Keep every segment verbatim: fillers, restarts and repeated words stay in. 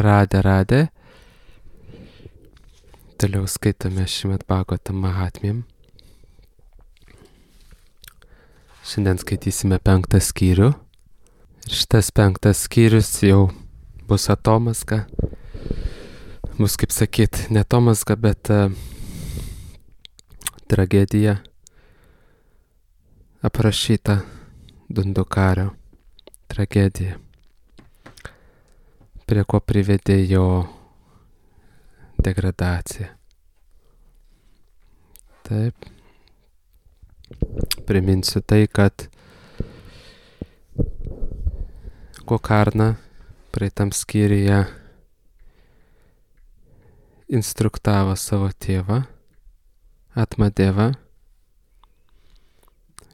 Radė, radė. Toliau skaitome Šrimad Bhagavatam Mahatmyam. Šiandien skaitysime penktą skyrių. Ir šitas penktas skyrius jau bus atomazga. Bus, kaip sakyt, ne atomazga, bet uh, tragedija aprašyta Dundukario tragedija, prie ko privedė jo degradacija. Taip. Priminsiu tai, kad Gokarna praeitam skyriuje instruktavo savo tėvą Atmadevą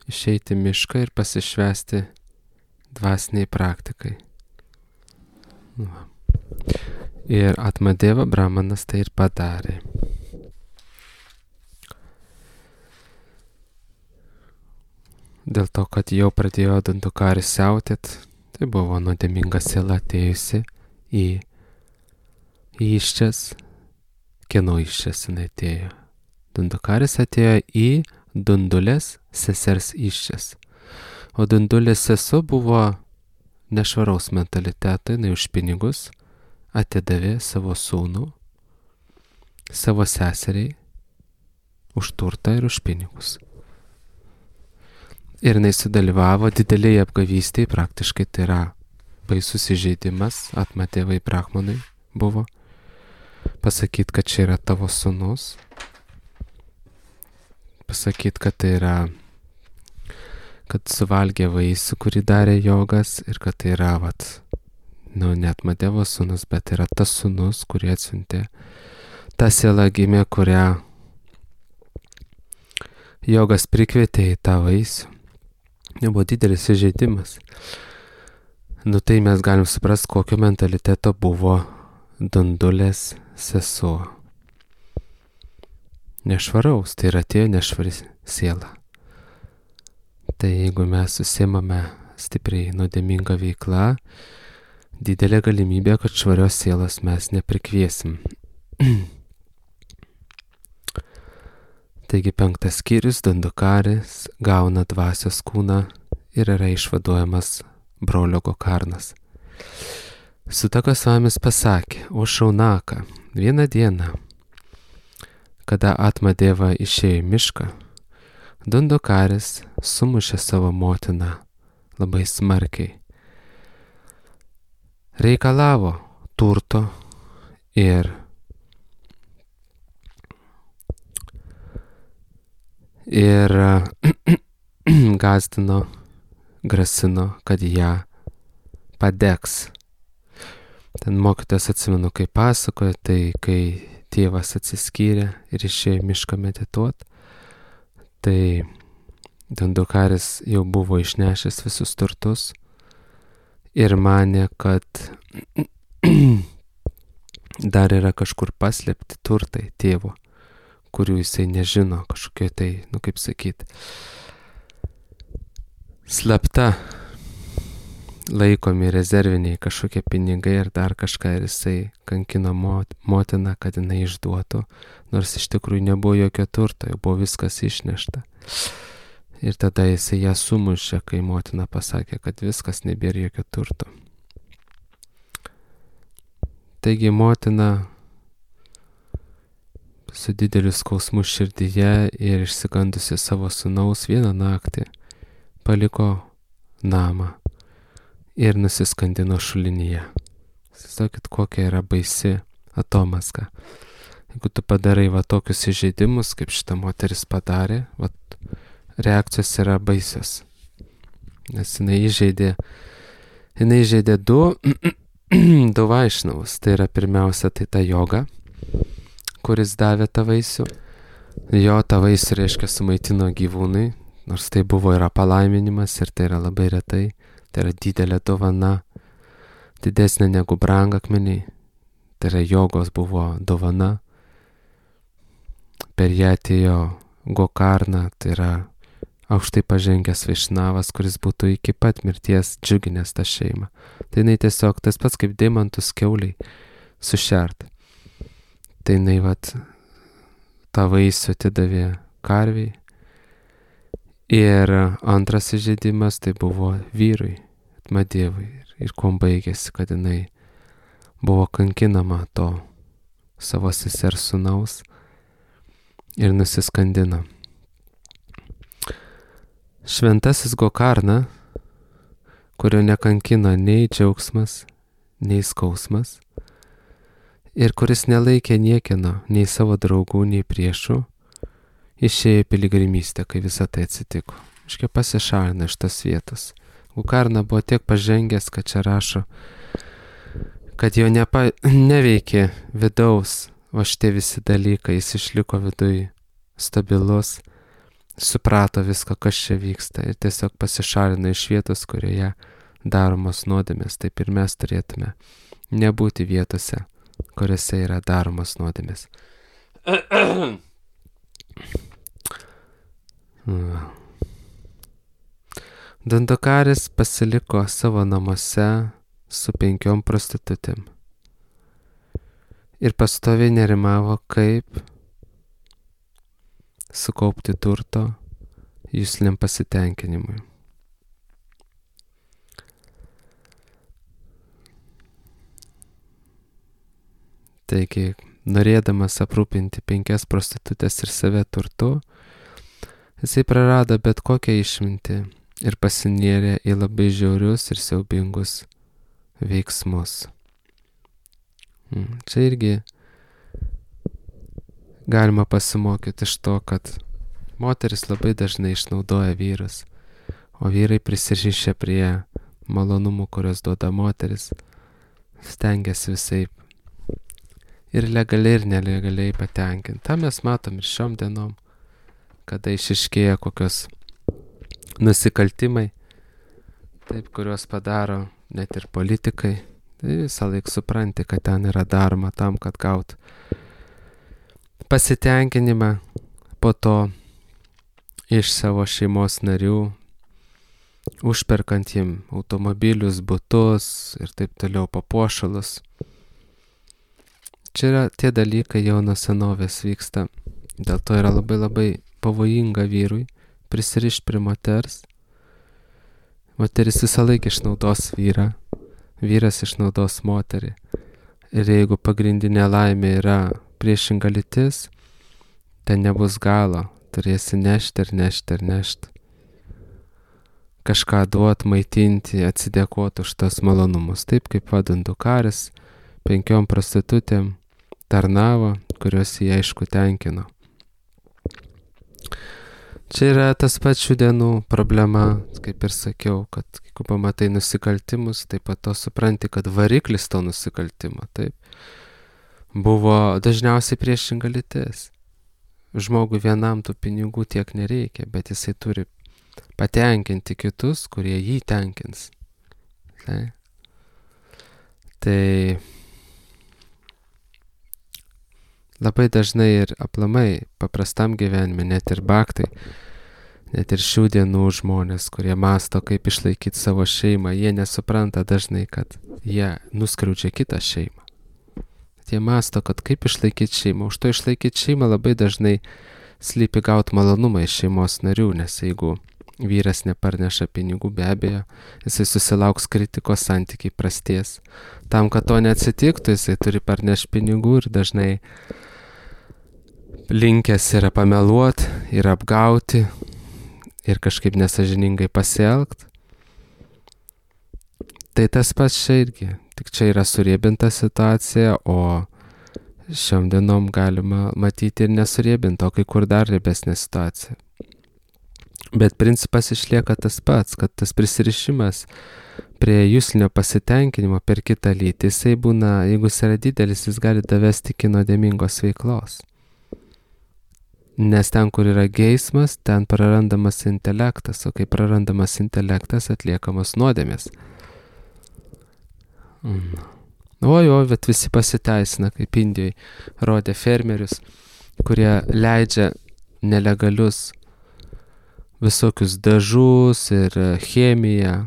išeiti į mišką ir pasišvęsti dvasiniai praktikai. Va. Ir Atmadeva Brahmanas tai ir padarė. Dėl to, kad jau pradėjo Dundukaris siautėt, tai buvo nuodėminga siela atėjusi į įščias. Kieno įščias jinai atėjo? Dundukaris atėjo į Dundulės sesers įščias. O Dundulės sesuo buvo nešvaraus mentaliteto, jinai už pinigus atidavė savo sūnų, savo seseriai, už turtą ir už pinigus. Ir jinai sudalyvavo didelėje apgavystėje, praktiškai tai yra baisus įžeidimas, Atmadevai Brahmanui buvo. Pasakyt, kad čia yra tavo sūnus. Pasakyt, kad tai yra, kad suvalgė vaisių, kurį darė jogas, ir kad tai yra, vat, nu, ne Atmadevo sūnus, bet yra tas sūnus, kurį atsiuntė. Ta siela gimė, kurią jogas prikvietė į tą vaisių. Nebuvo didelis įžeidimas. Nu tai mes galim suprasti, kokio mentaliteto buvo Dundulės sesuo. Nešvaraus, tai yra atėjo nešvari siela. Tai jeigu mes susimame stipriai nuodėmingą veiklą, didelė galimybė, kad švarios sielos mes neprikviesim. Taigi penktas skyrius, Dundukaris gauna dvasios kūną ir yra išvaduojamas brolio Gokarnas. Sutaka Svamis pasakė, o Šaunaka, vieną dieną, kada Atmadeva išėjo į mišką, Dundukaris sumušė savo motiną labai smarkiai. Reikalavo turto ir ir gazdino, grasino, kad ją padegs. Ten mokytojas, atsimenu, kai pasakoja, tai kai tėvas atsiskyrė ir išėjo į mišką medituot, tai Dundukaris jau buvo išnešęs visus turtus ir manė, kad dar yra kažkur paslėpti turtai tėvo, kurių jisai nežino, kažkokie tai, nu kaip sakyt, slapta laikomi rezerviniai kažkokie pinigai ar dar kažką, ir jisai kankino motiną, kad jinai išduotų, nors iš tikrųjų nebuvo jokio turto, jau buvo viskas išnešta. Ir tada jisai ją sumušė, kai motina pasakė, kad viskas, nebėra jokio turto. Taigi motina su dideliu skausmu širdyje ir išsigandusi savo sūnaus vieną naktį paliko namą ir nusiskandino šulinyje. Įsivaizduokit, kokia yra baisi atomazga. Jeigu tu padarai va tokius įžeidimus, kaip šita moteris padarė, va, reakcijos yra baisios. Nes jinai įžeidė, jinai įžeidė du, du vaišnavus. Tai yra pirmiausia, tai ta joga, kuris davė tą vaisių. Jo tą vaisių, reiškia, sumaitino gyvūnai, nors tai buvo yra palaiminimas ir tai yra labai retai. Tai yra didelė dovana, didesnė negu brangakmeniai. Tai yra jogos buvo dovana. Per ją atėjo Gokarna, tai yra aukštai pažengęs vaišnavas, kuris būtų iki pat mirties džiuginęs tą šeimą. Tai jinai tiesiog tas pats kaip deimantus kiauliai sušert. Tai jinai vat tą vaisių atidavė karviai. Ir antras įžeidimas tai buvo vyrui, Madevui. Ir kuom baigėsi, kad jinai buvo kankinama to savo sesers sūnaus ir nusiskandino. Šventasis Gokarna, kurio nekankino nei džiaugsmas, nei skausmas, ir kuris nelaikė niekino, nei savo draugų, nei priešų, išėjo į piligrimystę, kai visa tai atsitiko. Iškia pasišalino iš tos vietos. Gokarna buvo tiek pažengęs, kad čia rašo, kad jo nepa, neveikė vidaus, o šitie visi dalykai, jis išliko viduj stabilus, suprato viską, kas čia vyksta ir tiesiog pasišalino iš vietos, kurioje daromos nuodėmės. Taip ir mes turėtume nebūti vietose, kuriuose yra daromos nuodėmės. Dandakaris pasiliko savo namuose su penkiom prostitutėm ir pastoviai nerimavo, kaip sukaupti turto jusliniam pasitenkinimui. Taigi, norėdamas aprūpinti penkias prostitutės ir save turtu, jisai prarado bet kokią išmintį ir pasinėrė į labai žiaurius ir siaubingus veiksmus. Čia irgi galima pasimokyti iš to, kad moteris labai dažnai išnaudoja vyrus, o vyrai prisirišę prie malonumų, kurios duoda moteris, stengiasi visaip ir legaliai ir nelegaliai patenkinti. Ta mes matom ir šiom dienom, kada išiškėja kokios nusikaltimai, taip, kuriuos padaro net ir politikai. Tai visą laik supranti, kad ten yra daroma tam, kad gaut pasitenkinimą, po to iš savo šeimos narių, užperkant jiem automobilius, butus ir taip toliau papuošalus. Čia yra tie dalykai jau nuo senovės vyksta, dėl to yra labai labai pavojinga vyrui prisirišti prie moters. Moteris visą laiką išnaudos vyrą, vyras išnaudos moterį. Ir jeigu pagrindinė laimė yra priešinga lytis, ten nebus galo, turėsi nešti ir nešti ir nešti. Kažką duot, maitinti, atsidėkoti už tos malonumus. Taip kaip Dandakaris penkiom prostitutėm tarnavo, kurios jį aišku tenkino. Čia yra tas pats šių dienų problema, kaip ir sakiau, kad jeigu pamatai nusikaltimus, taip pat to supranti, kad variklis to nusikaltimo, taip, buvo dažniausiai priešinga lytis. Žmogui vienam tų pinigų tiek nereikia, bet jisai turi patenkinti kitus, kurie jį tenkins. Tai, tai labai dažnai ir aplamai paprastam gyvenime, net ir baktai, net ir šių dienų žmonės, kurie masto, kaip išlaikyti savo šeimą, jie nesupranta dažnai, kad jie nuskriaudžia kitą šeimą. Jie masto, kad kaip išlaikyti šeimą. Už to išlaikyti šeimą labai dažnai slypi gauti malonumą iš šeimos narių, nes jeigu vyras neparneša pinigų, be abejo, jisai susilauks kritikos, santykiai prasties. Tam, kad to neatsitiktų, jisai turi parnešti pinigų ir dažnai linkęs yra pameluoti ir apgauti ir kažkaip nesažiningai pasielgti. Tai tas pats čia irgi, tik čia yra suriebinta situacija, o šiom dienom galima matyti ir nesuriebinta, o kai kur dar riebesnė situacija. Bet principas išlieka tas pats, kad tas prisirišimas prie juslinio pasitenkinimo per kitą lytį, jisai būna, jeigu jis yra didelis, jis gali davesti iki nuodėmingos veiklos. Nes ten, kur yra geismas, ten prarandamas intelektas, o kai prarandamas intelektas, atliekamos nuodėmės. Mm. Oi, oi, bet visi pasiteisina, kaip Indijoj rodė fermerius, kurie leidžia nelegalius visokius dažus ir chemiją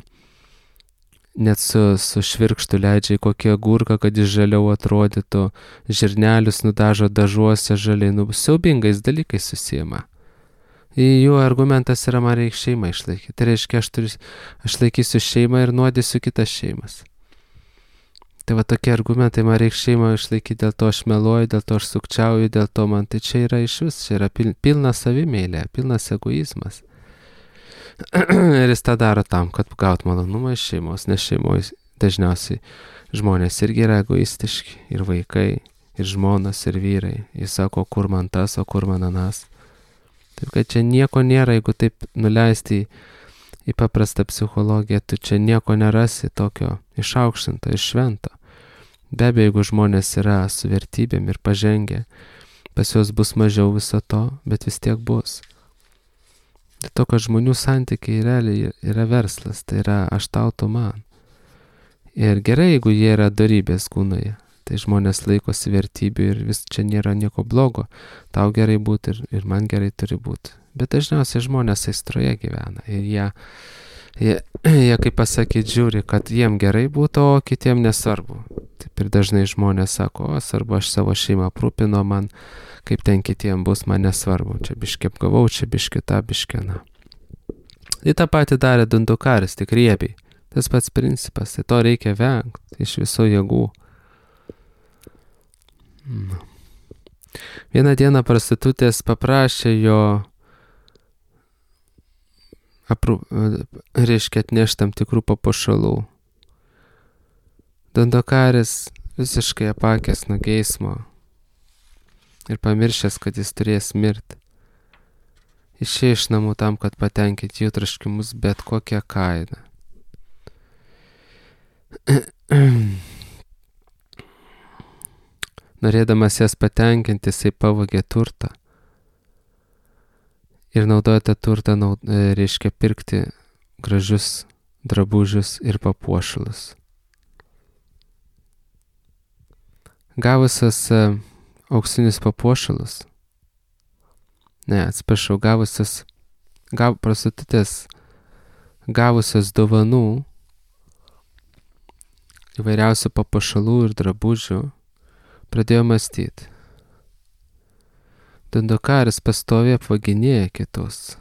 net su, su švirkštu leidžia į kokį agurką, kad jis žaliau atrodytų, žirnelius nudažo dažuose žaliai, nu, siaubingais dalykais susijama. Jų argumentas yra, man reikia šeimą išlaikyti. Tai reiškia, aš, turiu, aš laikysiu šeimą ir nuodysiu kitas šeimas. Tai va tokie argumentai, man reikia šeimą išlaikyti, dėl to aš meluoju, dėl to aš sukčiauju, dėl to man tai čia yra iš vis, čia yra pil, pilna savimėlė, pilnas egoizmas. Ir jis tą daro tam, kad gaut malonumą iš šeimos, nes šeimoje dažniausiai žmonės irgi yra egoistiški, ir vaikai, ir žmonas, ir vyrai. Jis sako, kur man tas, o kur man anas. Taip kad čia nieko nėra, jeigu taip nuleisti į, į paprastą psichologiją, tu čia nieko nerasi tokio išaukštinto, iš švento. Be abejo, jeigu žmonės yra su vertybėm ir pažengę, pas juos bus mažiau viso to, bet vis tiek bus. Tai to, kad žmonių santykiai realiai yra verslas, tai yra aš tau, tu man. Ir gerai, jeigu jie yra dorybės kūnoje, tai žmonės laikosi vertybių ir vis čia nėra nieko blogo. Tau gerai būti ir, ir man gerai turi būti. Bet dažniausiai žmonės aistroje gyvena ir jie, jie, jie kaip pasakyti, žiūri, kad jiem gerai būtų, o kitiem nesvarbu. Taip ir dažnai žmonės sako, o svarbu, aš savo šeimą aprūpino, man kaip ten kitiem bus, man nesvarbu. Čia biškį apgavau, čia biškį tą, biškį na. Tai tą patį darė Dundukaris, tik riebiai. Tas pats principas, tai to reikia vengti iš viso jėgų. Na. Vieną dieną prostitutės paprašė jo aprū, reiškia atnešti tam tikrų papuošalų. Dundukaris visiškai apakęs nuo geismo ir pamiršęs, kad jis turės mirti. Išėjo iš namų tam, kad patenkinti jų troškimus bet kokią kainą. Norėdamas jas patenkinti, jisai pavogė turtą ir naudoja tą turtą, naud, reiškia pirkti gražius drabužius ir papuošalus. Gavusios auksinius papuošalus, ne, atsiprašau, gavusios, gav, prostitutės gavusios dovanų, įvairiausių papuošalų ir drabužių, pradėjo mąstyti. Dundukaris pastoviai apvaginėja kitus.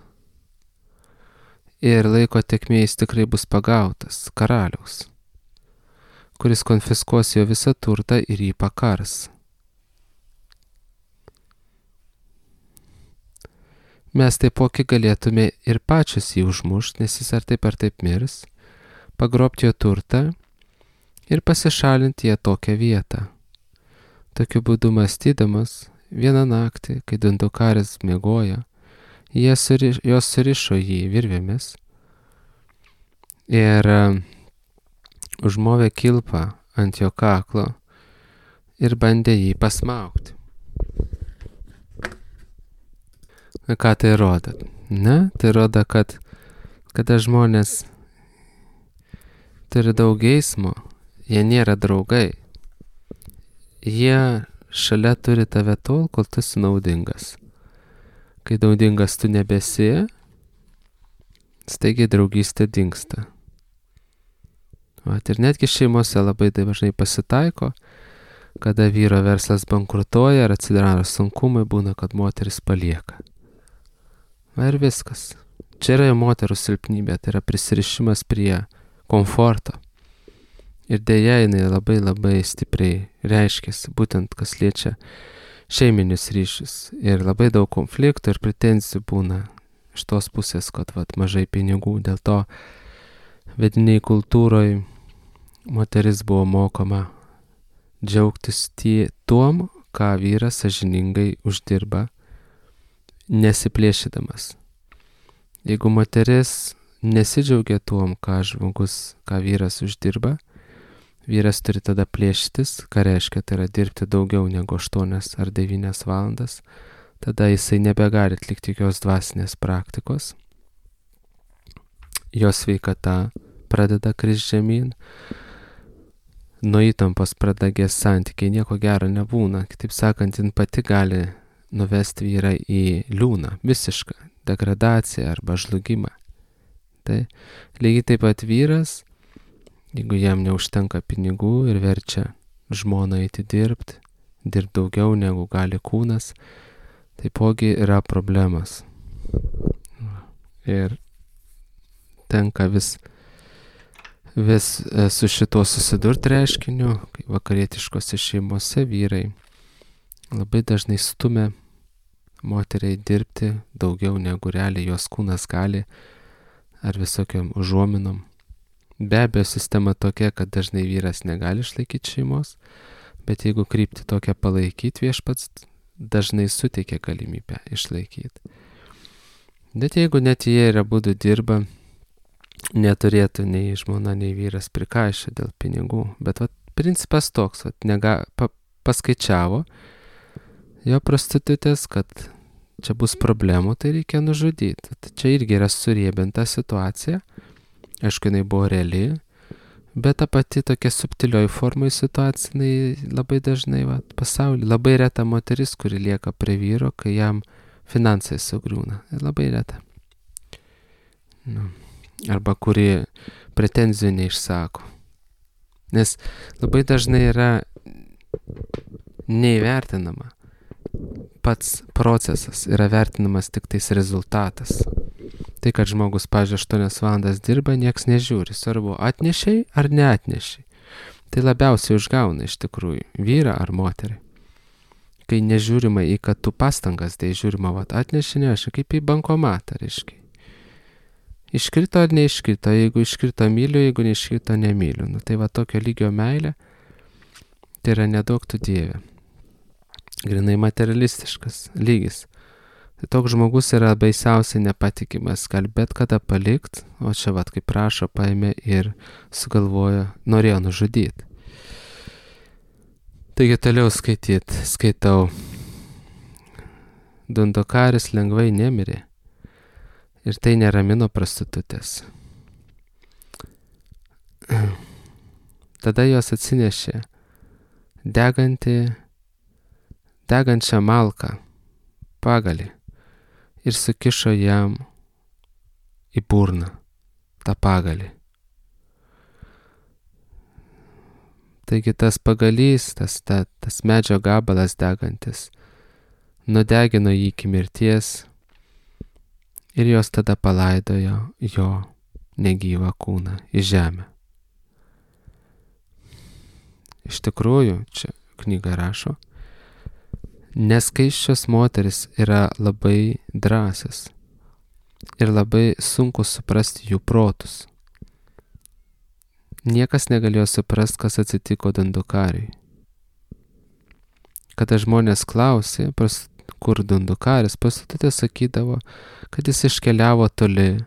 Ir laiko tėkmėje jis tikrai bus pagautas karaliaus, kuris konfiskuos jo visą turtą ir jį pakars. Mes taipogi galėtume ir pačius jį užmušti, nes jis ar taip ar taip mirs, pagrobti jo turtą ir pasišalinti ją tokią vietą. Tokiu būdu mąstydamas, vieną naktį, kai Dundukaris miegojo, jie suriš, jos surišo jį virvėmis ir uh, užmovė kilpą ant jo kaklo ir bandė jį pasmaugti. Ką tai rodo? Ne, tai rodo, kad kada žmonės turi daug geismo, jie nėra draugai. Jie šalia turi tave tol, kol tu esi naudingas. Kai naudingas tu nebesi, staigiai draugystė dingsta. Vat, ir netgi šeimose labai dažnai pasitaiko, kada vyro verslas bankrutuoja ar atsidaro sunkumai, būna, kad moteris palieka. Va ir viskas. Čia yra moterų silpnybė, tai yra prisirišimas prie komforto. Ir dėja jinai labai labai stipriai reiškiasi, būtent kas liečia šeiminius ryšius. Ir labai daug konfliktų ir pretenzijų būna iš tos pusės, kad vat, mažai pinigų. Dėl to vediniai kultūroje moteris buvo mokoma džiaugtis tie, tuom, ką vyras sąžiningai uždirba, nesiplėšydamas. Jeigu moteris nesidžiaugia tuom, ką žmogus, ką vyras uždirba, vyras turi tada plėšytis, ką reiškia, tai yra dirbti daugiau negu aštuonias ar devynias valandas, tada jisai nebegali atlikti jokios dvasinės praktikos, jo sveikata pradeda krist žemyn, nuo įtampos pradagės santykiai, nieko gero nebūna, kitaip sakant, jin pati gali nuvesti vyrą į liūną, visišką degradaciją arba žlugimą. Tai lygiai taip pat vyras Jeigu jam neužtenka pinigų ir verčia žmoną eiti dirbti, dirbti daugiau negu gali kūnas, taipogi yra problemas. Ir tenka vis, vis su šituo susidurti reiškiniu, kai vakarietiškose šeimose vyrai labai dažnai stumia moteriai dirbti daugiau negu realiai jos kūnas gali, ar visokiam užuominom. Be abejo, sistema tokia, kad dažnai vyras negali išlaikyti šeimos, bet jeigu krypti tokią palaikyti, viešpats dažnai suteikia galimybę išlaikyti. Bet jeigu net jie ir abudu dirba, neturėtų nei žmona, nei vyras prikaišę dėl pinigų. Bet vat, principas toks, vat, nega, pa, paskaičiavo jo prostitutės, kad čia bus problemų, tai reikia nužudyti. Tai čia irgi yra suriebinta situacija. Aišku, jinai buvo reali, bet ta pati tokia subtilioji formai situacija, jinai labai dažnai vat, pasaulyje, labai reta moteris, kuri lieka prie vyro, kai jam finansai sugriūna. Labai reta. Nu. Arba kuri pretenzijų neišsako. Nes labai dažnai yra neįvertinama. Pats procesas yra vertinamas tik tais rezultatas. Tai, kad žmogus, pavyzdžiui, aštuonias valandas dirba, nieks nežiūri. Svarbu, atnešiai ar neatnešiai. Tai labiausiai užgauna iš tikrųjų vyrą ar moterį. Kai nežiūrima į kad tu pastangas, tai žiūrima, vat, atneši, neši, kaip į bankomatą, reiškia. Iškrito ar neiškrito, jeigu iškrito myliu, jeigu neiškrito nemyliu. Nu, tai va tokio lygio meilė, tai yra nedaug tu Dieve. Grinai materialistiškas lygis. Tai toks žmogus yra baisiausiai nepatikimas, gali bet kada palikt, o čia vat kaip prašo, paėmė ir sugalvojo, norėjo nužudyti. Taigi toliau skaityt, skaitau. Dundukaris lengvai nemirė. Ir tai neramino prostitutės. Tada jos atsinešė degantį, degančią malką, pagalį ir sukišo jam į burną tą pagalį. Taigi tas pagalys, tas, ta, tas medžio gabalas degantis, nudegino jį iki mirties. Ir jos tada palaidojo jo negyvą kūną į žemę. Iš tikrųjų, čia knyga rašo, neskaisčios moteris yra labai drąsios ir labai sunku suprasti jų protus. Niekas negalėjo suprasti, kas atsitiko Dundukariui. Kada žmonės klausė, kur Dundukaris, prostitutė sakydavo, kad jis iškeliavo toli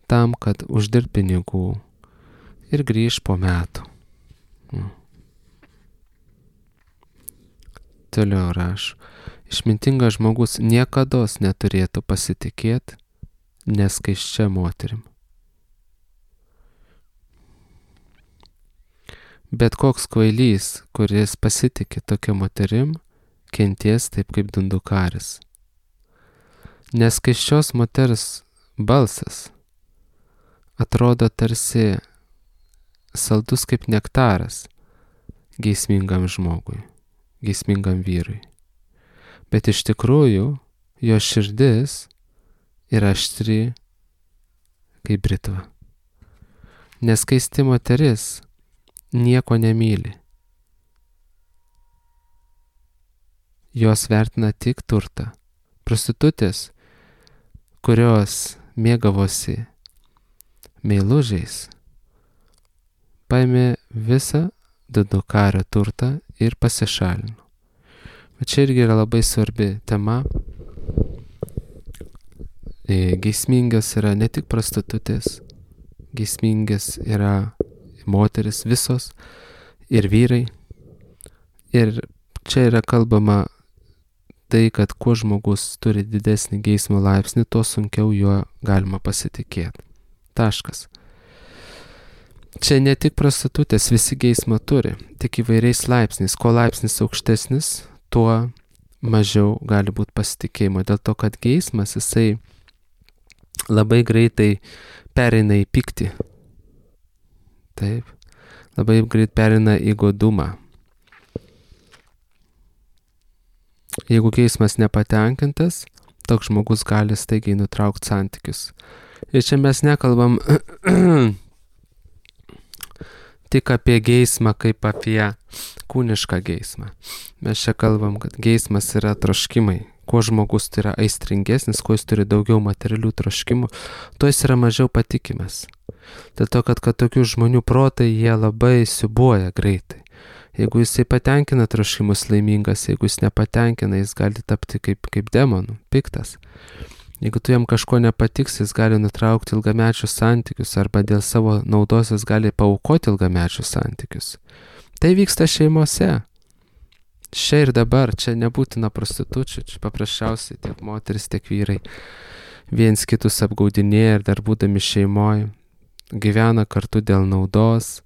tam, kad uždirb pinigų ir grįž po metų. Mm. Toliau rašo, išmintingas žmogus niekados neturėtų pasitikėti neskaisčia moterim. Bet koks kvailys, kuris pasitikė tokia moterim, kenties taip kaip Dundukaris. Neskaisčios moters balsas atrodo tarsi saldus kaip nektaras geismingam žmogui, geismingam vyrui. Bet iš tikrųjų jo širdis yra aštri kaip britva. Neskaisti moteris nieko nemyli. Jos vertina tik turtą. Prostitutės, kurios mėgavosi meilužiais, paėmė visą Dundukario turtą ir pasišalino. Bet čia irgi yra labai svarbi tema. Geismingas yra ne tik prostitutės, geismingas yra moteris visos ir vyrai. Ir čia yra kalbama tai, kad kuo žmogus turi didesnį geismo laipsnį, tuo sunkiau juo galima pasitikėti. Taškas. Čia ne tik prostitutės, visi geismą turi, tik įvairiais laipsniais. Ko laipsnis aukštesnis, tuo mažiau gali būti pasitikėjimo. Dėl to, kad geismas, jisai labai greitai pereina į pyktį. Taip. labai greit perina į godumą. Jeigu geismas nepatenkintas, toks žmogus gali staigiai nutraukti santykius. Ir čia mes nekalbam tik apie geismą kaip apie kūnišką geismą. Mes čia kalbam, kad geismas yra troškimai. Kuo žmogus tai yra aistringesnis, kuo jis turi daugiau materialių troškimų, tuo jis yra mažiau patikimas. Dėl to, kad, kad tokių žmonių protai jie labai siubuoja greitai. Jeigu jisai patenkina troškimus laimingas, jeigu jis nepatenkina, jis gali tapti kaip, kaip demonų, piktas. Jeigu tu jam kažko nepatiks, jis gali nutraukti ilgamečius santykius arba dėl savo naudos jis gali paaukoti ilgamečius santykius. Tai vyksta šeimose. Čia ir dabar, čia nebūtina prostitučių, čia paprasčiausiai tiek moteris, tiek vyrai viens kitus apgaudinėja ir dar būdami šeimoje gyvena kartu dėl naudos,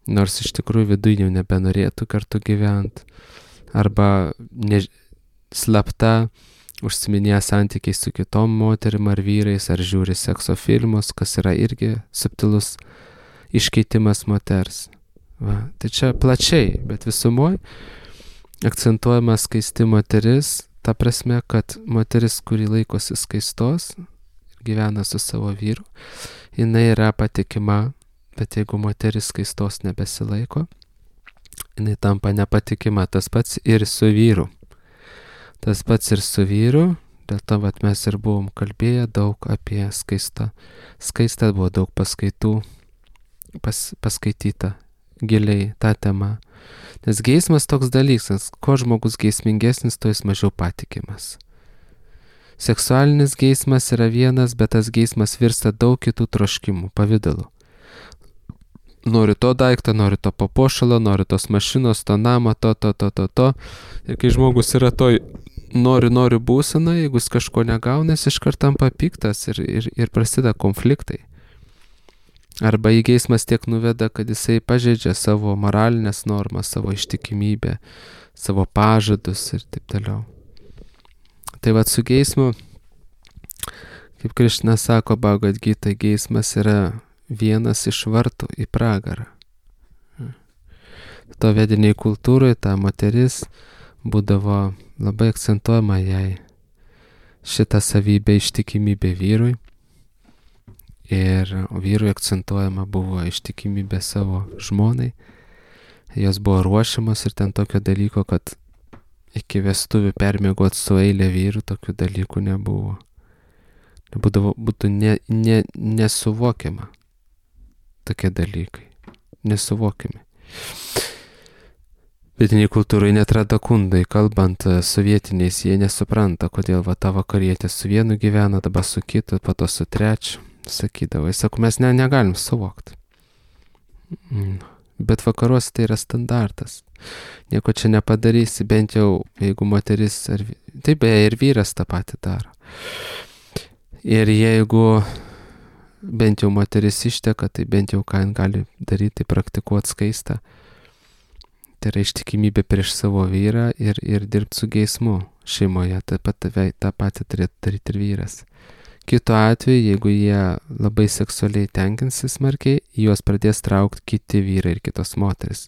nors iš tikrųjų viduje jau nebenorėtų kartu gyventi, arba ne, slapta užsiminėja santykiai su kitom moterim ar vyrais, ar žiūri sekso filmus, kas yra irgi subtilus iškeitimas moters. Va, tai čia plačiai, bet visumoje akcentuojama skaisti moteris, ta prasme, kad moteris, kuri laikosi skaistos, gyvena su savo vyru, jinai yra patikima, bet jeigu moteris skaistos nebesilaiko, jinai tampa nepatikima, tas pats ir su vyru. Tas pats ir su vyru, dėl to vat, mes ir buvom kalbėję daug apie skaistą. Skaista buvo daug paskaitų, pas, paskaityta giliai tą temą. Nes geismas toks dalykas, kuo žmogus geismingesnis, to jis mažiau patikimas. Seksualinis geismas yra vienas, bet tas geismas virsta daug kitų troškimų, pavidalų. Noriu to daikto, noriu to papuošalo, noriu tos mašinos, to namo, to, to, to, to, to. Ir kai žmogus yra toj noriu, noriu būsena, jeigu jis kažko negauna, jis iškart tampa piktas ir, ir, ir prasideda konfliktai. Arba į geismas tiek nuveda, kad jisai pažeidžia savo moralinės normas, savo ištikimybę, savo pažadus ir taip toliau. Tai vat su geismu, kaip Krišna sako Bhagavad Gita, geismas yra vienas iš vartų į pragarą. To vediniai kultūroje ta moteris būdavo labai akcentuojama jai šitą savybę ištikimybė vyrui. Ir vyrui akcentuojama buvo ištikimybė savo žmonai. Jos buvo ruošiamos ir ten tokio dalyko, kad iki vestuvių permiegot su eilė vyrų, tokių dalykų nebuvo. Būdavo, būtų ne, ne, nesuvokiama tokie dalykai. Nesuvokiami. Vietiniai kultūrai net radakundai, kalbant sovietiniais, jie nesupranta, kodėl va ta vakarietė su vienu gyvena, dabar su kitu, po to su trečiu. Sakydavo, jis sako, mes ne, negalim suvokti. Mm. Bet vakaruose tai yra standartas. Nieko čia nepadarysi, bent jau, jeigu moteris, ar, taip beje, ir vyras tą patį daro. Ir jeigu bent jau moteris išteka, tai bent jau ką jin gali daryti, tai praktikuoti skaistą. Tai yra ištikimybė prieš savo vyrą ir, ir dirbti su geismu šeimoje. Taip pat tą patį turėtų daryti ir vyras. Kitu atveju, jeigu jie labai seksualiai tenkinsis smarkiai, juos pradės traukti kiti vyrai ir kitos moteris.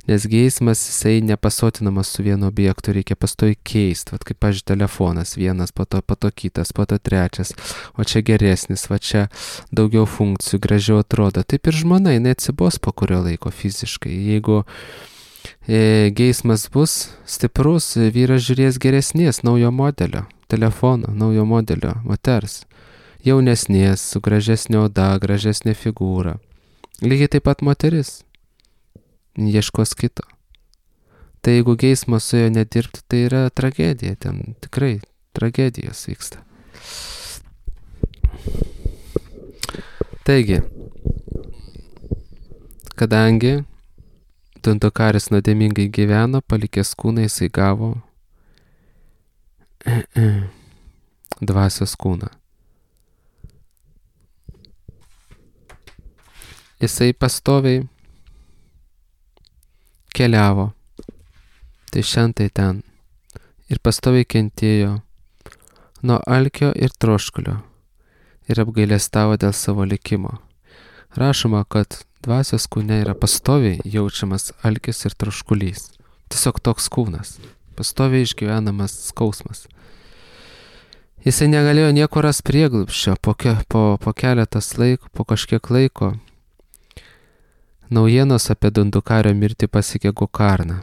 Nes geismas, jisai nepasotinamas su vienu objektu, reikia pastovi keisti. Vat kaip, pavyzdžiui, telefonas, vienas, po to, po to kitas, po to trečias, o čia geresnis, va čia daugiau funkcijų, gražiau atrodo. Taip ir žmona, jinai atsibos po kurio laiko fiziškai. Jeigu e, geismas bus stiprus, vyras žiūrės geresnės, naujo modelio, telefono, naujo modelio, moters. Jaunesnės, su gražesnė oda, gražesnė figūra. Lygiai taip pat moteris. Ieškos kito. Tai jeigu geismas su jo nedirbti, tai yra tragedija. Ten tikrai tragedijos vyksta. Taigi, kadangi Dandakaris nuodėmingai gyveno, palikęs kūną, jisai gavo dvasios kūną. Jisai pastoviai keliavo, tai šiandien ten, ir pastoviai kentėjo nuo alkio ir troškulio ir apgailestavo dėl savo likimo. Rašoma, kad dvasios kūne yra pastoviai jaučiamas alkis ir troškulys. Tiesiog toks kūnas. Pastoviai išgyvenamas skausmas. Jisai negalėjo nieko ras prieglobsčio. Po, ke, po, po keletas laiko, po kažkiek laiko naujienos apie Dundukario mirtį pasiekė Gokarną.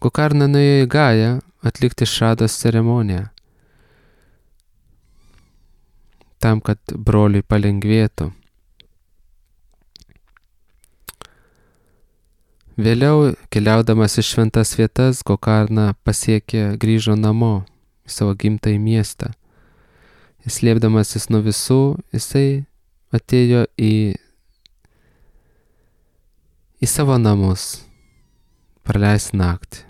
Gokarna nuėjo į Gają atlikti šados ceremoniją, tam, kad broliui palengvėtų. Vėliau, keliaudamas į šventas vietas, Gokarna pasiekė, grįžo namo į savo gimtąjį miestą. Jis slėpdamasis nuo visų, jisai atėjo į, į savo namus, praleis naktį.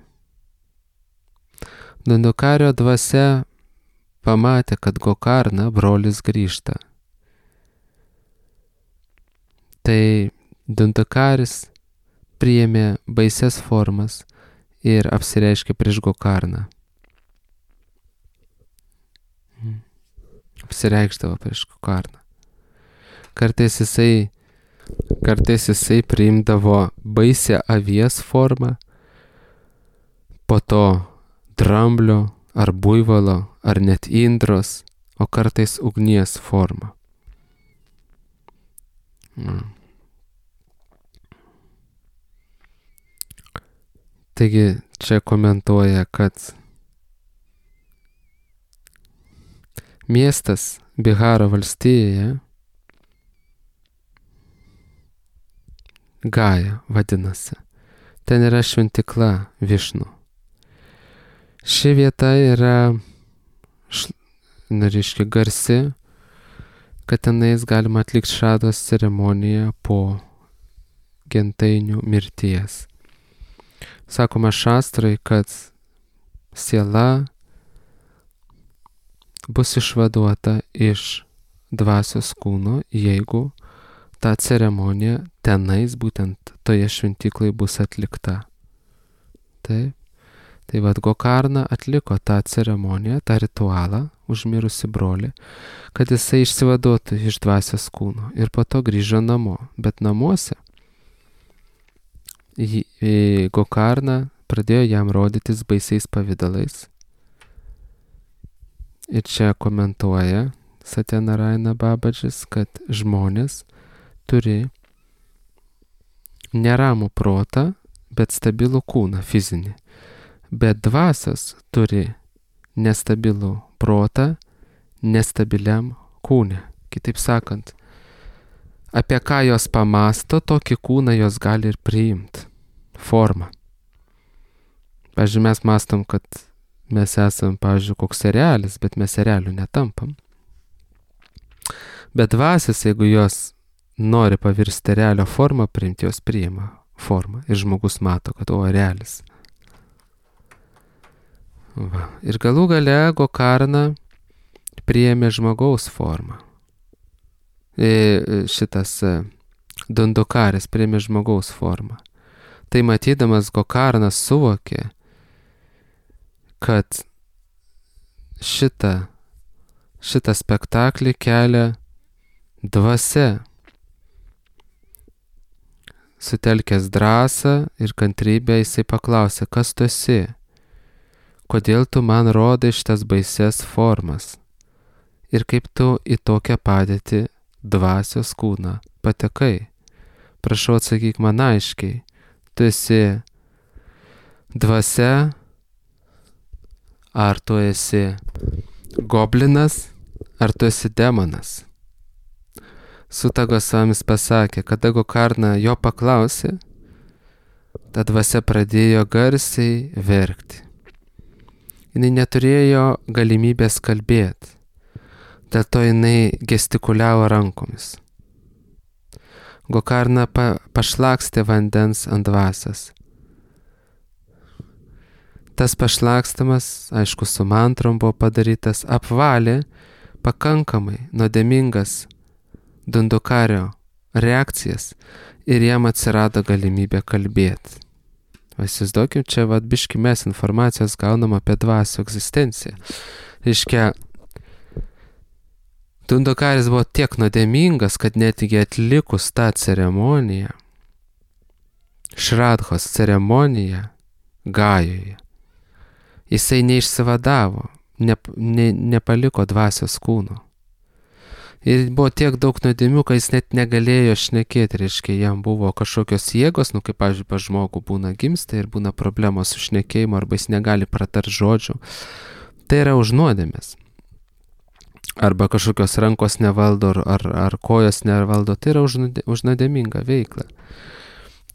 Dundukario dvasia pamatė, kad Gokarna brolis grįžta. Tai Dundukaris priėmė baises formas ir apsireiškė prieš Gokarną. Apsireikšdavo prieš Gokarną. Kartais jisai, kartais jisai priimdavo baisę avies formą, po to dramblio ar buivalo ar net indros, o kartais ugnies formą. Mm. Taigi čia komentuoja, kad miestas Biharo valstijoje, Gaja vadinasi, ten yra šventykla Višnu. Ši vieta yra, na, reiškia, garsi, kad tenais galima atlikti šados ceremoniją po gentainių mirties. Sakoma šastrai, kad siela bus išvaduota iš dvasios kūno, jeigu ta ceremonija tenais, būtent toje šventyklai, bus atlikta. Taip. Tai vad Gokarna atliko tą ceremoniją, tą ritualą, užmirusi brolį, kad jisai išsivaduotų iš dvasios kūno ir po to grįžo namo. Bet namuose Gokarna pradėjo jam rodytis baisiais pavydalais. Ir čia komentuoja Satyanarayana Babadžis, kad žmonės turi neramų protą, bet stabilų kūną fizinį. Bet dvasios turi nestabilų protą nestabiliam kūne. Kitaip sakant, apie ką jos pamasto, tokį kūną jos gali ir priimti. Formą. Pavyzdžiui, mes mastom, kad mes esam, pavyzdžiui, koks erelis, bet mes erelių netampam. Bet dvasios, jeigu jos nori pavirsti erelio formą, priimti, jos priima formą. Ir žmogus mato, kad o erelis. Va. Ir galų gale Gokarna priėmė žmogaus formą. E, šitas Dundukaris priėmė žmogaus formą. Tai matydamas Gokarnas suvokė, kad šitą, šitą spektaklį kelia dvasia. Sutelkęs drąsą ir kantrybę, jisai paklausė, kas tu esi? Kodėl tu man rodai šitas baises formas? Ir kaip tu į tokią padėtį dvasios kūną patekai? Prašau, atsakyk man aiškiai. Tu esi dvasia, ar tu esi goblinas, ar tu esi demonas? Suta Gosvamis pasakė, kada Gokarna jo paklausė, ta dvasia pradėjo garsiai verkti. Jinai neturėjo galimybės kalbėti, dėl to jinai gestikuliavo rankomis. Gokarna pa, pašlakstė vandens ant dvasios. Tas pašlakstamas, aišku, su mantrom buvo padarytas, apvalė pakankamai nuodėmingas Dundukario reakcijas ir jam atsirado galimybė kalbėti. Įsivaizduokim, čia vat biški mes informacijos gaunam apie dvasių egzistenciją. Reiškia, Dundukaris buvo tiek nuodėmingas, kad netgi atlikus tą ceremoniją, Šradhos ceremoniją Gajoje, jisai neišsivadavo, ne, ne, nepaliko dvasios kūno. Ir buvo tiek daug nuodėmių, kad jis net negalėjo šnekėti, reiškia, jam buvo kažkokios jėgos, nu kaip, pavyzdžiui, pas žmogų būna gimsta ir būna problemos su šnekėjimu, arba jis negali pratart žodžių. Tai yra už nuodėmės. Arba kažkokios rankos nevaldo, ar, ar kojos nevaldo, tai yra už, už nuodėmingą veiklą.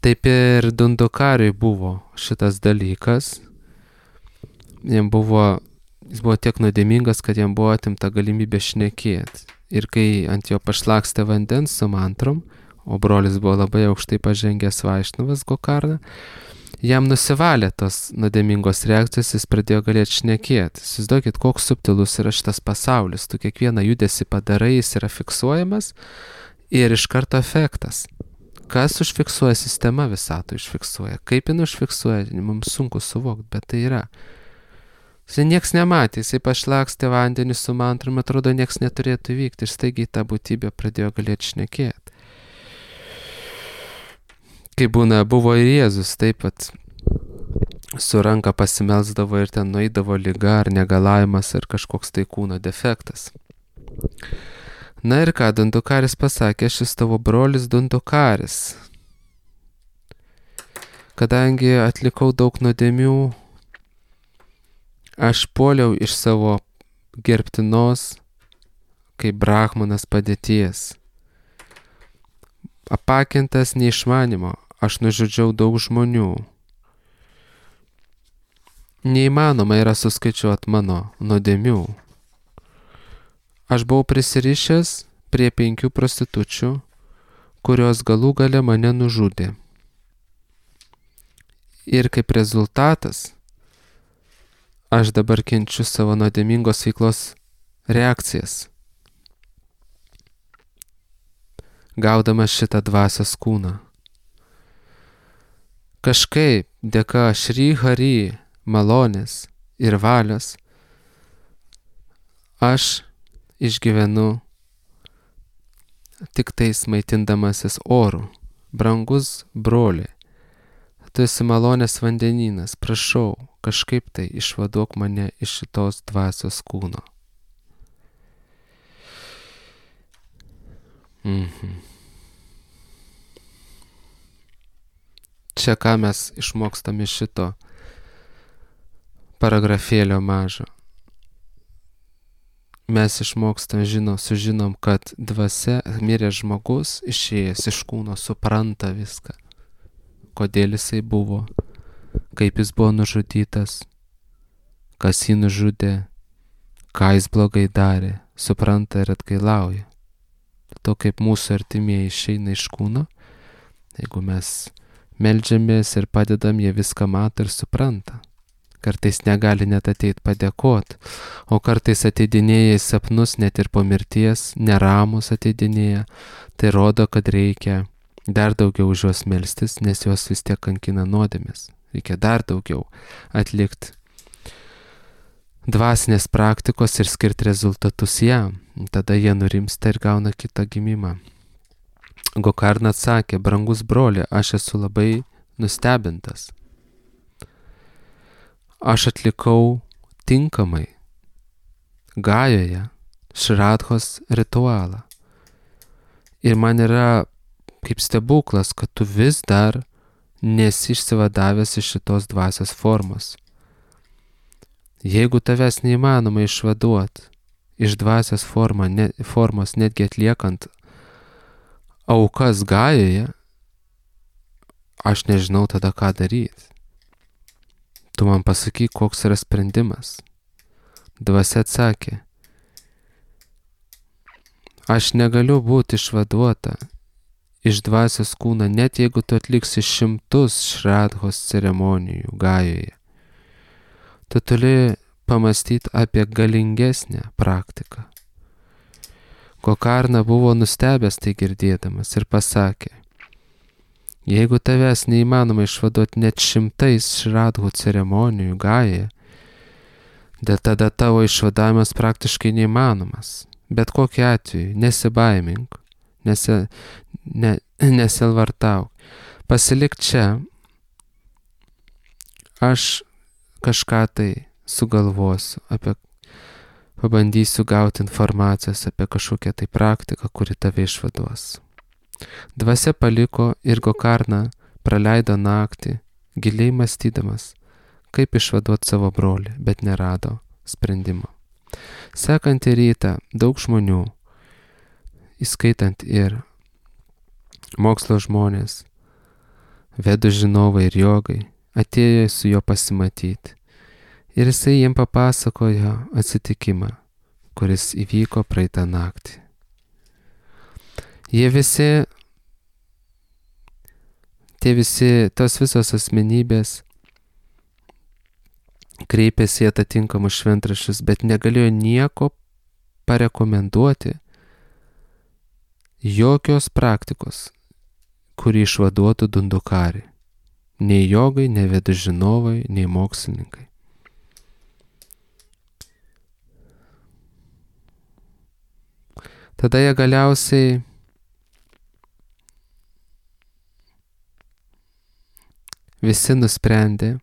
Taip ir Dundukariui buvo šitas dalykas. Jam buvo, jis buvo tiek nuodėmingas, kad jam buvo atimta galimybė šnekėti. Ir kai ant jo pašlakstė vandens su mantrom, o brolis buvo labai aukštai pažengęs Vaišnavas Gokarna, jam nusivalė tos nuodėmingos reakcijos, jis pradėjo galėti šnekėti. Įsivaizduokit, koks subtilus yra šitas pasaulis. Tu kiekvieną judesį padarai, jis yra fiksuojamas ir iš karto efektas. Kas užfiksuoja sistema visatą užfiksuoja. Kaip jin užfiksuoja, mums sunku suvokti, bet tai yra. Jis nieks nematė, jisai pašlakstė vandenį su mantrom, atrodo, nieks neturėtų vykti ir staigiai tą būtybę pradėjo galėti šnekėti. Kai būna, buvo ir Jėzus, taip pat su ranka pasimelsdavo ir ten nueidavo liga ar negalavimas ar kažkoks tai kūno defektas. Na ir ką, Dundukaris pasakė, šis tavo brolis Dundukaris. Kadangi atlikau daug nuodėmių, aš puoliau iš savo gerbtinos, kaip brahmanas padėties. Apakintas neišmanimo, aš nužudžiau daug žmonių. Neįmanoma yra suskaičiuoti mano nuodėmių. Aš buvau prisirišęs prie penkių prostitučių, kurios galų gale mane nužudė. Ir kaip rezultatas, aš dabar kenčiu savo nuodėmingos veiklos reakcijas, gaudamas šitą dvasios kūną. Kažkaip dėka Šri Hari malonės ir valios aš išgyvenu tik tais maitindamasis orų. Brangus broli, tu esi malonės vandenynas, prašau, kažkaip tai išvaduok mane iš šitos dvasios kūno. Mhm. Čia ką mes išmokstam iš šito paragrafėlio mažo. Mes išmokstam, žino, sužinom, kad dvasia, miręs žmogus, išėjęs iš kūno, supranta viską. Kodėl jisai buvo, kaip jis buvo nužudytas, kas jį nužudė, ką jis blogai darė, supranta ir atgailauja. To kaip mūsų artimieji išeina iš kūno, jeigu mes meldžiamės ir padedam, jie viską mato ir supranta. Kartais negali net ateit padėkot, o kartais ateidinėja į sapnus net ir po mirties, neramus ateidinėja, tai rodo, kad reikia dar daugiau už juos melstis, nes juos vis tiek kankina nuodėmės. Reikia dar daugiau atlikti dvasinės praktikos ir skirti rezultatus jam. Tada jie nurimsta ir gauna kitą gimimą. Gokarna atsakė, brangus broli, aš esu labai nustebintas. Aš atlikau tinkamai Gajoje Šradhos ritualą. Ir man yra kaip stebuklas, kad tu vis dar nesi išsivadavęs iš šitos dvasios formos. Jeigu tavęs neįmanoma išvaduoti iš dvasios forma, ne, formos, netgi atliekant aukas Gajoje, aš nežinau tada ką daryti. Tu man pasakyk, koks yra sprendimas. Dvasia atsakė, aš negaliu būti išvaduota iš dvasios kūno, net jeigu tu atliksi šimtus Šradhos ceremonijų Gajoje. Tu turi pamastyti apie galingesnę praktiką. Gokarna buvo nustebęs tai girdėdamas ir pasakė, jeigu tavęs neįmanoma išvaduoti net šimtais Šradhų ceremonijų Gajoje, dėl tada tavo išvadavimas praktiškai neįmanomas. bet kokiu atveju nesibaimink, nesi, ne, nesilvartauk. Pasilik čia, aš kažką tai sugalvosiu, apie, pabandysiu gauti informacijos apie kažkokią tai praktiką, kuri tave išvaduos. Dvasia paliko ir Gokarna praleido naktį, giliai mąstydamas, kaip išvaduoti savo brolį, bet nerado sprendimo. Sekantį rytą daug žmonių, įskaitant ir mokslo žmonės, vedų žinovai ir jogai, atėjo su juo pasimatyti. Ir jisai jiem papasakojo atsitikimą, kuris įvyko praeitą naktį. Jie visi, tie visi, tos visos asmenybės kreipėsi į atitinkamus šventraščius, bet negalėjo nieko parekomenduoti, jokios praktikos, kuri išvaduotų Dundukarį. Nei jogai, nei vedų žinovai, nei mokslininkai. Tada jie galiausiai visi nusprendė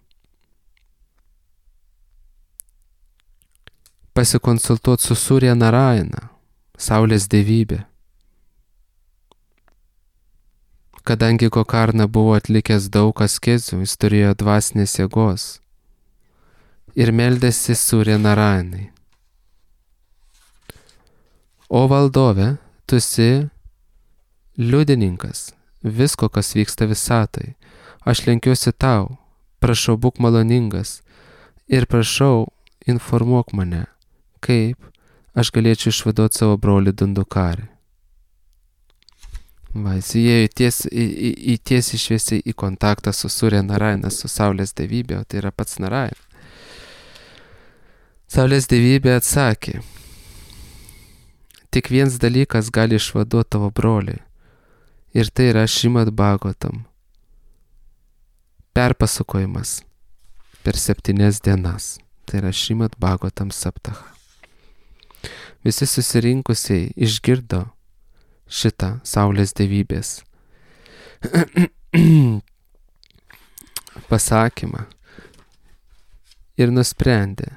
pasikonsultuoti su Surya Narayana, Saulės dievybė. Kadangi Gokarna buvo atlikęs daug askezių, jis turėjo dvasinės jėgos ir meldėsi Surya Narayanai. O valdove, tu esi liudininkas visko, kas vyksta visatai. Aš lenkiuosi tau, prašau, būk maloningas ir prašau, informuok mane, kaip aš galėčiau išvaduoti savo brolį Dundukarį. Va, jis įėjo ties, į, į, į tiesiai šviesiai į kontaktą su Surya Narayana, su Saulės dievybė, o tai yra pats Narayana. Saulės dievybė atsakė, tik vienas dalykas gali išvaduoti tavo brolį, ir tai yra Šrimad Bhagavatam perpasakojimas per septynias dienas. Tai yra Šrimad Bhagavatam Saptaha. Visi susirinkusiai išgirdo šitą Saulės dievybės pasakymą ir nusprendė,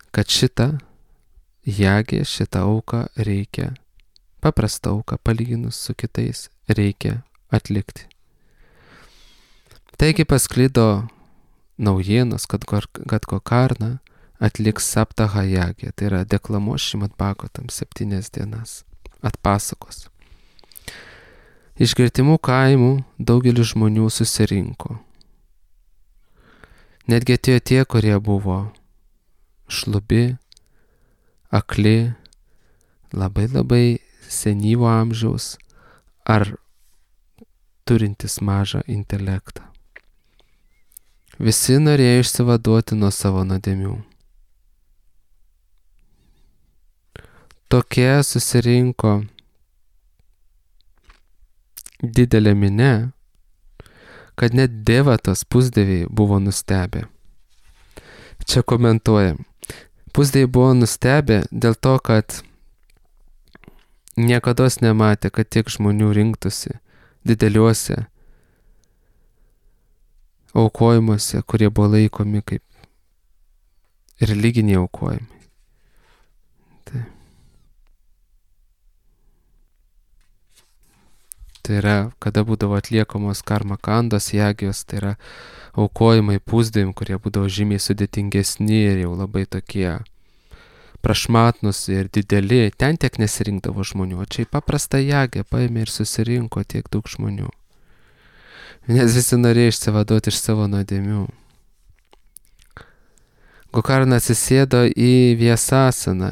kad šitą jagę, šitą auką reikia, paprastą auką palyginus su kitais, reikia atlikti. Taigi pasklido naujienos, kad, kad Gokarna atliks Saptaha jagę, tai yra deklamuos Šrimad Bhagavatam septynias dienas, atpasakos. Iš gretimų kaimų daugelis žmonių susirinko. Netgi atėjo tie, kurie buvo šlubi, akli, labai labai senyvo amžiaus ar turintis mažą intelektą. Visi norėjo išsivaduoti nuo savo nuodėmių. Tokie susirinko didelė minia, kad net devatos pusdieviai buvo nustebę. Čia komentuojam. Pusdieviai buvo nustebę dėl to, kad niekados nematė, kad tiek žmonių rinktųsi dideliuose aukojimuose, kurie buvo laikomi kaip religiniai aukojimai. Tai, tai yra, kada būdavo atliekamos karma kandos jagijos, tai yra aukojimai pusdieviam, kurie būdavo žymiai sudėtingesni ir jau labai tokie prašmatnus ir dideli. Ten tiek nesirinkdavo žmonių, o čia į paprastą jagę paėmė ir susirinko tiek daug žmonių. Nes visi norėjo išsivaduoti iš savo nuodėmių. Gokarna atsisėdo į Vyasasaną,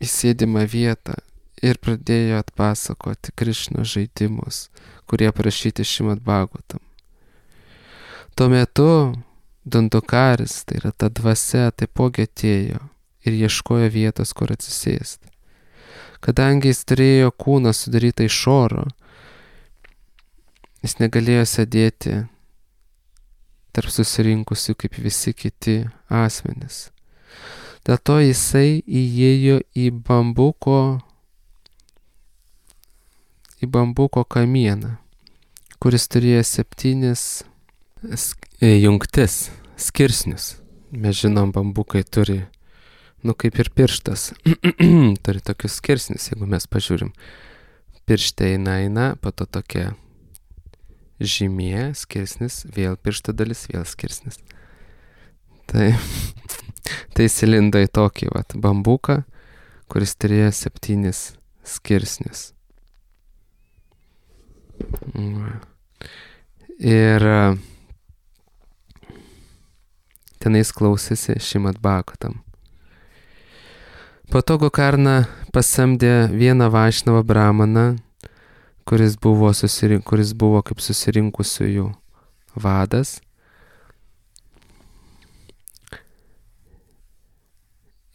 į sėdimą vietą ir pradėjo atpasakoti Krišnos žaidimus, kurie aprašyti Šrimad Bhagavatam. Tuo metu Dundukaris, tai yra ta dvasia, taipogi atėjo ir ieškojo vietos, kur atsisėsti. Kadangi jis turėjo kūną sudarytą iš oro, jis negalėjo sėdėti tarp susirinkusių kaip visi kiti asmenys. Dėl to jisai įėjo į bambuko, į bambuko kamieną, kuris turėjo septynis jungtis, skirsnius. Mes žinom, bambukai turi, nu kaip ir pirštas, turi tokius skirsnius, jeigu mes pažiūrim. Piršte eina, eina, po to tokia žymė, skirsnis, vėl piršto dalis, vėl skirsnis. Tai, tai įsilindo į tokį vat, bambuką, kuris turėjo septynis skirsnius. Ir tenais klausėsi Šrimad Bhagavatam. Po to Gokarna pasamdė vieną Vaišnavą brahmaną, kuris buvo, susirink, kuris buvo kaip susirinkusiųjų vadas.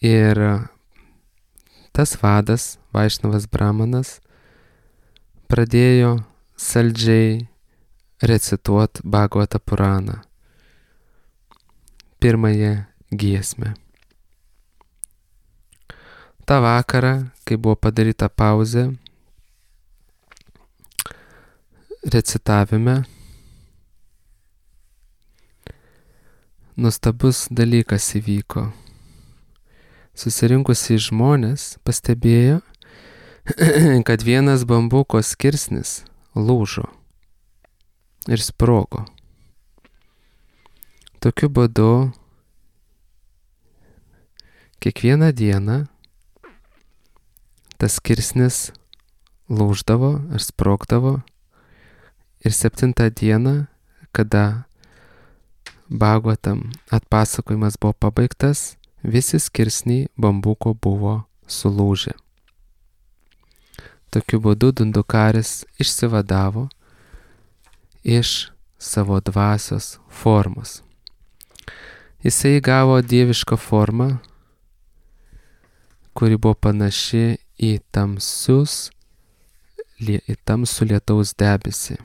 Ir tas vadas, Vaišnavas brahmanas, pradėjo saldžiai recituot Bhagavata Puraną, pirmąją giesmę. Ta vakarą, kai buvo padaryta pauzė recitavime, nuostabus dalykas įvyko. Susirinkusi žmonės pastebėjo, kad vienas bambuko skirsnis lūžo ir sprogo. Tokiu būdu kiekvieną dieną tas skirsnis lūždavo ar sprogdavo ir septintą dieną, kada Bhagavatam atpasakojimas buvo pabaigtas, visi skirsniai bambuko buvo sulūžę. Tokiu būdu Dundukaris išsivadavo iš savo dvasios formos. Jisai gavo dievišką formą, kuri buvo panaši į tamsius, į tamsų lietaus debesį.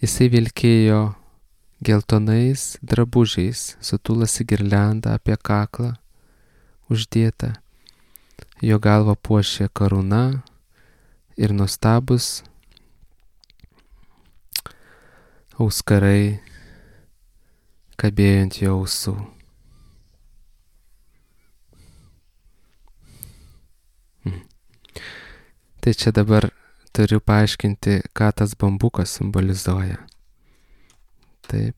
Jisai vilkėjo geltonais drabužiais, sutulasi girliandą apie kaklą uždėtą. Jo galvą puošė karūna ir nuostabus auskarai kabėjo ant jo ausų. Hmm. Tai čia dabar turiu paaiškinti, ką tas bambukas simbolizuoja. Taip.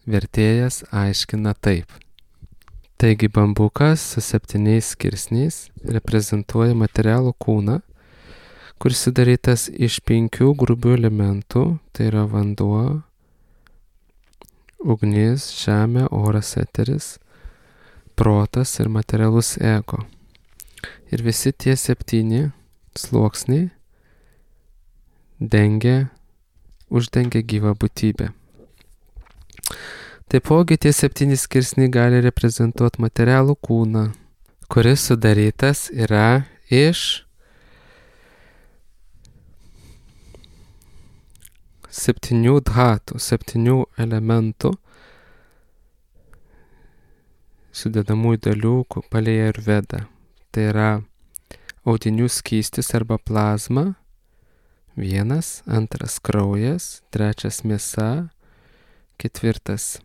Vertėjas aiškina taip. Taigi bambukas su septyniais skirsniais reprezentuoja materialų kūną, kuris sudarytas iš penkių grubių elementų, tai yra vanduo, ugnis, žemė, oras, eteris, protas ir materialus ego. Ir visi tie septyni sluoksniai dengia, uždengia gyvą būtybę. Taipogi tie septyni skirsniai gali reprezentuoti materialų kūną, kuris sudarytas yra iš septynių dhatų, septynių elementų, sudedamųjų dalių pagal Ajurvedą. Tai yra audinių skystis arba plazma, vienas, antras kraujas, trečias mėsa, ketvirtas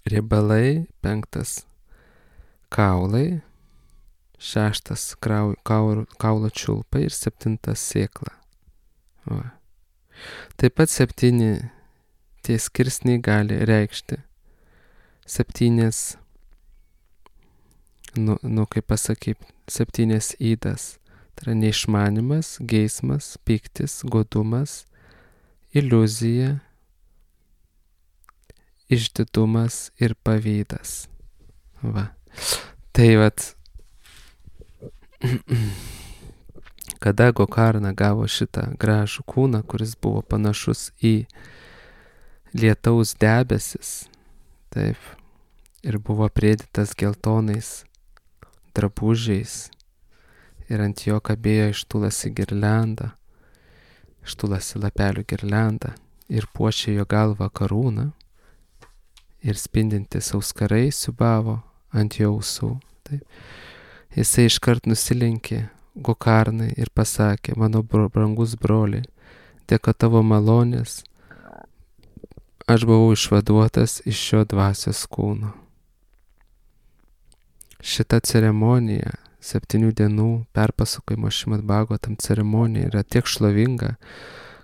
riebalai, penktas kaulai, šeštas krau, kaul, kaulo čiulpai ir septintas sėkla. Va. Taip pat septyni tie skirsniai gali reikšti septynės, nu, nu kaip pasakyt, septynės įdas. Tai yra neišmanimas, geismas, pyktis, godumas, iliuzija, išdidumas ir pavydas. Va. Tai vat, kada Gokarna gavo šitą gražų kūną, kuris buvo panašus į lietaus debesis, taip, ir buvo aprėdytas geltonais drabužiais, ir ant jo kabėjo ištulasi girlianda, ištulasi lapelių girlianda, ir puošė jo galvą karūną, ir spindintis auskarai siubavo ant jo ausų. Taip. Jisai iškart nusilenkė Gokarnai ir pasakė, mano brangus broli, dėka tavo malonės, aš buvau išvaduotas iš šio dvasios kūno. Šita ceremonija, septynių dienų perpasakojimo Šrimad Bhagavatam ceremonija yra tiek šlovinga,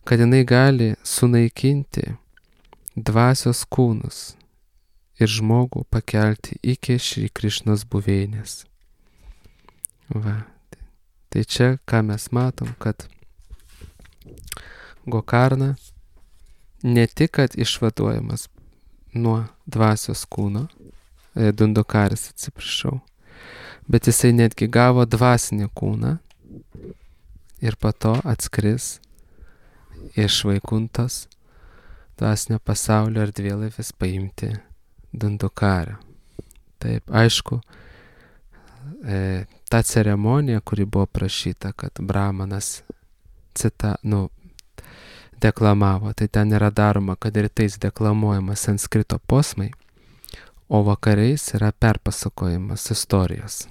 kad jinai gali sunaikinti dvasios kūnus ir žmogų pakelti iki Šri Krišnos buveinės. Va. Tai čia, ką mes matom, kad Gokarna ne tik, kad išvaduojamas nuo dvasios kūno, e, Dundukaris, atsiprašau, bet jisai netgi gavo dvasinį kūną ir po to atskris iš Vaikuntos dvasinio pasaulio erdvėlaivis paimti Dundukarą. Taip, aišku, e, ta ceremonija, kuri buvo prašyta, kad Brahmanas cita, nu, deklamavo, tai ten yra daroma, kad rytais deklamuojama sanskrito posmai, o vakariais yra perpasakojimas istorijos.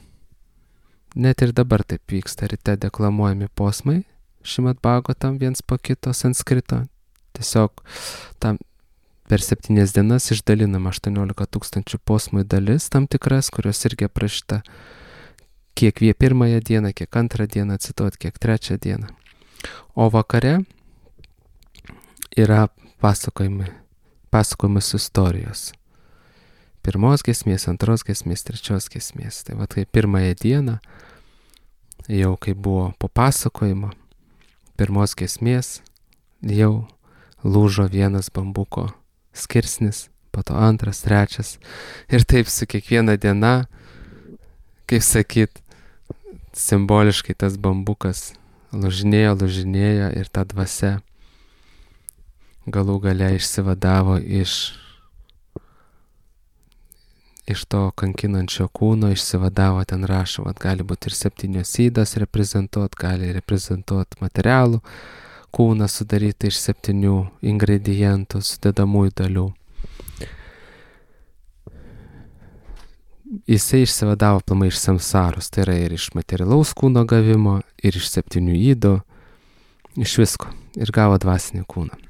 Net ir dabar taip vyksta, ryte deklamuojami posmai, Šrimad Bhagavatam viens po kito sanskrito, tiesiog tam per septynias dienas išdalinama aštuoniolika tūkstančių posmų dalis tam tikras, kurios irgi aprašyta, kiek vie pirmąją dieną, kiek antrą dieną cituot, kiek trečią dieną. O vakare yra pasakojimai, pasakojimas istorijos. Pirmos giesmės, antros giesmės, trečios giesmės. Tai va, tai pirmąją dieną, jau kai buvo po pasakojimo, pirmos giesmės, jau lūžo vienas bambuko skirsnis, po to antras, trečias. Ir taip su kiekviena diena, kaip sakyt, simboliškai tas bambukas lūžinėjo, lūžinėjo ir ta dvasia galų gale išsivadavo iš, iš to kankinančio kūno, išsivadavo, ten rašo, vat, gali būti ir septynios ydos reprezentuot, gali reprezentuot materialų kūną sudaryti iš septynių ingredientų, sudedamųjų dalių. Jisai išsivadavo aplamai iš samsaros, tai yra ir iš materialaus kūno gavimo, ir iš septynių ydų, iš visko, ir gavo dvasinį kūną.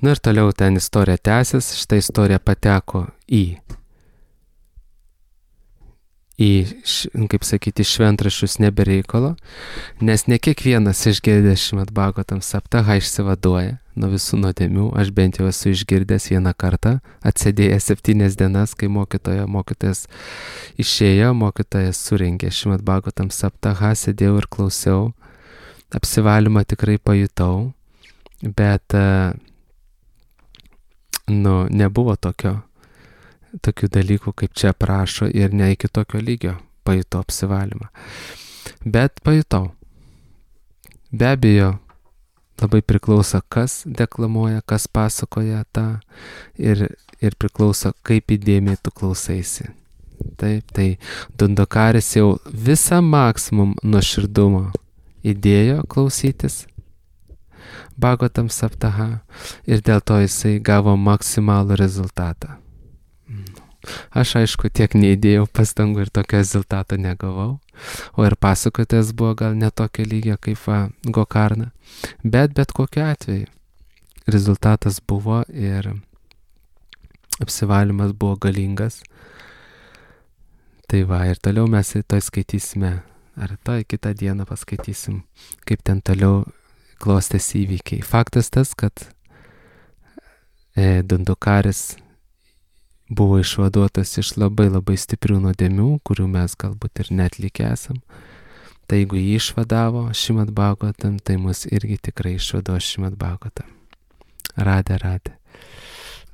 Na ir toliau ten istorija tęsis, šitą istoriją pateko į, į, kaip sakyti, šventraščius nebereikalo, nes ne kiekvienas išgirdęs Šrimad Bhagavatam saptahą išsivaduoja nuo visų nuodėmių. Aš bent jau esu išgirdęs vieną kartą, atsėdėjęs septynias dienas, kai mokytoja, mokytojas išėjo, mokytojas surengė Šrimad Bhagavatam saptahą, sėdėjau ir klausiau, apsivalymą tikrai pajutau, bet nu, nebuvo tokio, tokių dalykų, kaip čia prašo, ir ne iki tokio lygio pajutau apsivalymą. Bet pajutau. Be abejo, labai priklauso, kas deklamuoja, kas pasakoja tą, ir, ir priklauso, kaip įdėmiai tu klausaisi. Taip, tai Dundukaris jau visą maksimum nuoširdumo įdėjo klausytis Bhagavatam saptahą ir dėl to jisai gavo maksimalų rezultatą. Aš aišku tiek neįdėjau pastangų ir tokio rezultato negavau, o ir pasakotojas buvo gal netokio lygio kaip va, Gokarna, bet bet kokiu atveju rezultatas buvo ir apsivalymas buvo galingas. Tai va, ir toliau mes to skaitysime, ar to kitą dieną paskaitysim, kaip ten toliau klostėsi įvykiai. Faktas tas, kad e, Dundukaris buvo išvaduotas iš labai labai stiprių nuodėmių, kurių mes galbūt ir netlikę esam. Tai jeigu jį išvadavo Šrimad Bhagavatam, tai mus irgi tikrai išvaduos Šrimad Bhagavatam. Radhe, radhe.